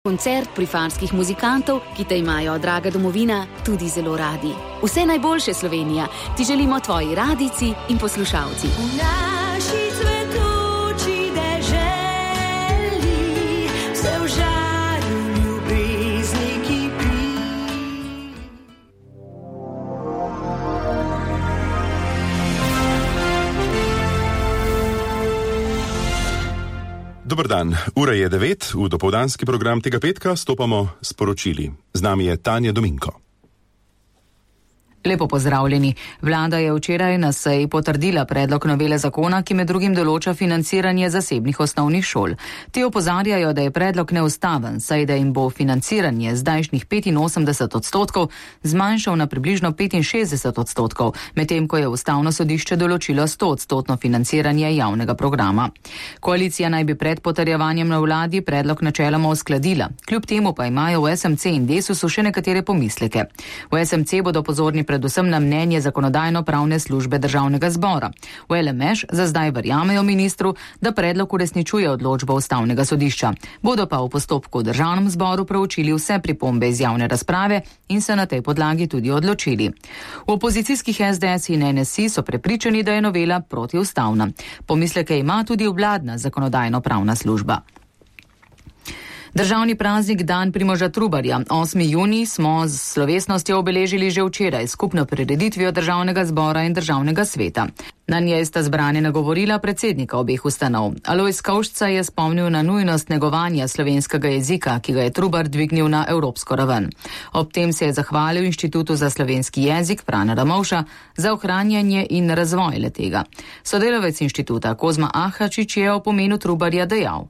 Koncert prifanskih muzikantov, ki te imajo, draga domovina, tudi zelo radi. Vse najboljše, Slovenija, ti želimo tvoji radijci in poslušalci. V naši cvetoči deželi se v žarju ljubezni kipi. Dober dan, ura je 9, v dopoldanski program tega petka stopamo s poročili. Z nami je Tanja Dominko. Lepo pozdravljeni. Vlada je včeraj na seji potrdila predlog novele zakona, ki med drugim določa financiranje zasebnih osnovnih šol. Ti opozarjajo, da je predlog neustaven, saj da jim bo financiranje zdajšnjih 85% zmanjšal na približno 65%, medtem ko je Ustavno sodišče določilo 100% financiranje javnega programa. Koalicija naj bi pred potrjevanjem na vladi predlog načeloma uskladila. Kljub temu pa imajo v SMC in Desusu še nekatere pomisleke. V SMC bodo pozorni predvsem na mnenje Zakonodajno-pravne službe Državnega zbora. V LMŠ za zdaj verjamejo ministru, da predlog uresničuje odločbo Ustavnega sodišča. Bodo pa v postopku v Državnem zboru proučili vse pripombe iz javne razprave in se na tej podlagi tudi odločili. V opozicijskih SDS in NSI so prepričani, da je novela protiustavna. Pomisleke ima tudi vladna Zakonodajno-pravna služba. Državni praznik Dan Primoža Trubarja, 8. junij, smo z slovesnostjo obeležili že včeraj skupno prireditvijo Državnega zbora in Državnega sveta. Na njej sta zbrane nagovorila predsednika obeh ustanov. Alojz Kovšca je spomnil na nujnost negovanja slovenskega jezika, ki ga je Trubar dvignil na evropsko raven. Ob tem se je zahvalil Inštitutu za slovenski jezik Frana Ramovša za ohranjanje in razvoj le-tega. Sodelavec inštituta Kozma Ahačič je o pomenu Trubarja dejal.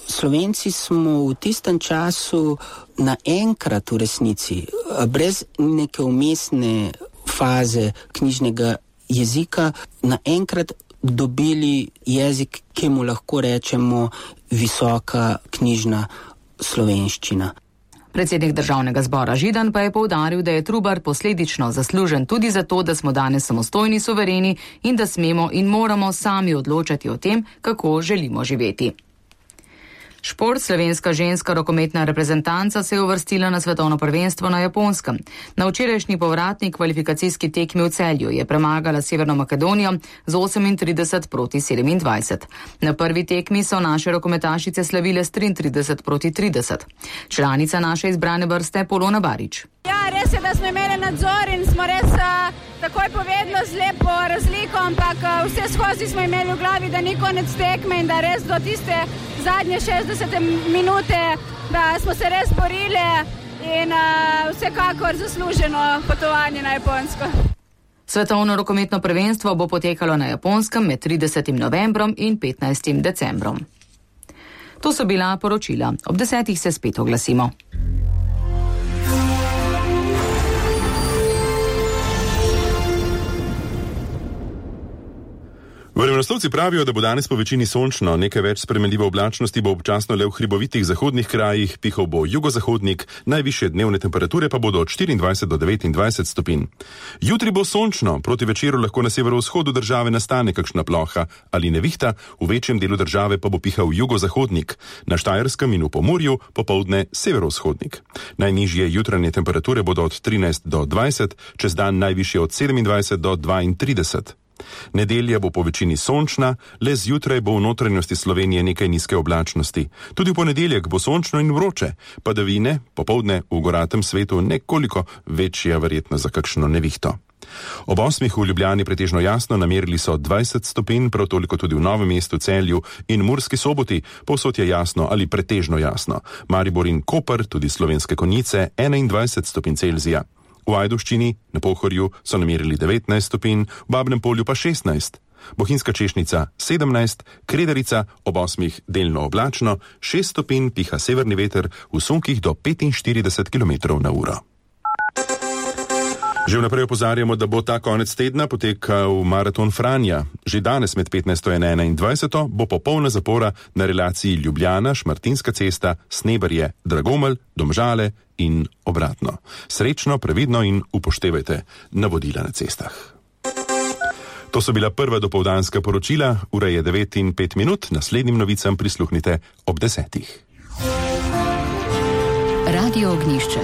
Slovenci smo v tistem času naenkrat v resnici, brez neke umestne faze knjižnega jezika, naenkrat dobili jezik, ki mu lahko rečemo visoka knjižna slovenščina. Predsednik Državnega zbora Židan pa je poudaril, da je Trubar posledično zaslužen tudi za to, da smo danes samostojni, suvereni in da smemo in moramo sami odločati o tem, kako želimo živeti. Šport, slovenska ženska rokometna reprezentanca se je uvrstila na svetovno prvenstvo na Japonskem. Na včerajšnji povratni kvalifikacijski tekmi v Celju je premagala Severno Makedonijo z 38-27. Na prvi tekmi so naše rokometašice slavile s 33-30. Članica naše izbrane vrste Polona Barič. Ja, res je, da smo imeli nadzor in smo res takoj povedali z lepo razliko, ampak vse skozi smo imeli v glavi, da ni konec tekme in da res do tiste zadnje 60 minute, da smo se res borili in vsekakor zasluženo potovanje na Japonsko. Svetovno rokometno prvenstvo bo potekalo na Japonskem med 30. novembrom in 15. decembrom. To so bila poročila. Ob 10. se spet oglasimo. Vremenoslovci pravijo, da bo danes po večini sončno, nekaj več spremenljive oblačnosti bo občasno le v hribovitih zahodnih krajih, pihal bo jugozahodnik, najvišje dnevne temperature pa bodo od 24 do 29 stopinj. Jutri bo sončno, proti večeru lahko na severovzhodu države nastane kakšna ploha ali nevihta, v večjem delu države pa bo pihal jugozahodnik, na Štajerskem in v Pomurju popoldne severovzhodnik. Najnižje jutranje temperature bodo od 13 do 20, čez dan najvišje od 27 do 32. Nedelja bo po večini sončna, le zjutraj bo v notranjosti Slovenije nekaj nizke oblačnosti. Tudi v ponedeljek bo sončno in vroče, padavine, popoldne v goratem svetu nekoliko večja verjetnost za kakšno nevihto. Ob 8. v Ljubljani pretežno jasno, namerili so 20 stopinj, prav toliko tudi v Novem mestu, Celju in Murski Soboti, povsod je jasno ali pretežno jasno. Maribor in Koper, tudi Slovenske Konjice, 21 stopinj Celzija. V Ajdovščini, na Pohorju, so namerili 19 stopinj, v Babnem Polju pa 16. Bohinjska Češnica 17, Kredarica ob 8 delno oblačno, 6 stopinj piha severni veter v sunkih do 45 km/h. Že vnaprej opozarjamo, da bo ta konec tedna potekal maraton Franja. Že danes med 15. in 21. bo popolna zapora na relaciji Ljubljana, Šmartinska cesta, Sneberje, Dragomelj, Domžale in obratno. Srečno, previdno in upoštevajte navodila na cestah. To so bila prva dopoldanska poročila, ura je 9:05, naslednjim novicam prisluhnite ob 10. Radio Ognišče.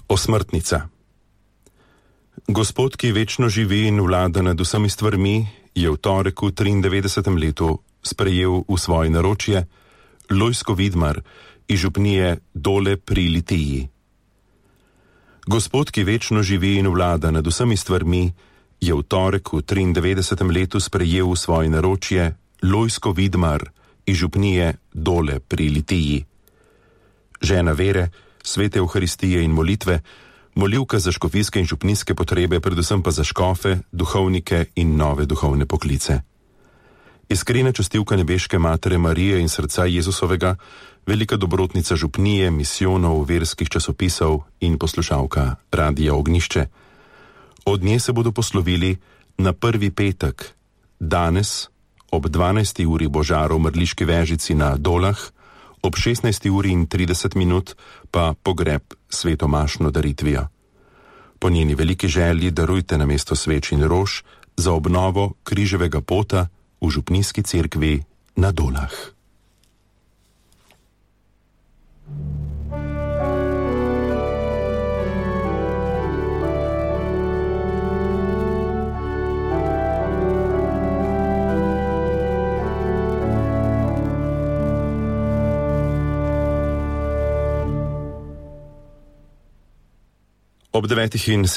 Osmrtnica. Gospod, ki večno živi in vlada nad vsemi stvarmi, je v torek v 93. letu sprejel v svoje naročje Lojzko Vidmar iz župnije Dole pri Litiji. Gospod, ki večno živi in vlada nad vsemi stvarmi, je v torek v 93. letu sprejel v svoje naročje Lojzko Vidmar iz župnije Dole pri Litiji. Žena vere, svete Evharistije in molitve, molivka za škofijske in župnijske potrebe, predvsem pa za škofe, duhovnike in nove duhovne poklice. Iskrena častilka nebeške Matere Marije in srca Jezusovega, velika dobrotnica župnije, misijonov, verskih časopisov in poslušalka Radia Ognišče. Od nje se bodo poslovili na prvi petek, danes ob 12. uri bo žar v Mrliški Vežici na Dolah, ob 16:30 pa pogreb svetomašno daritvijo. Po njeni veliki želji darujte namesto sveč in rož za obnovo križevega pota v župnijski cerkvi na Dolah. Ob 9:07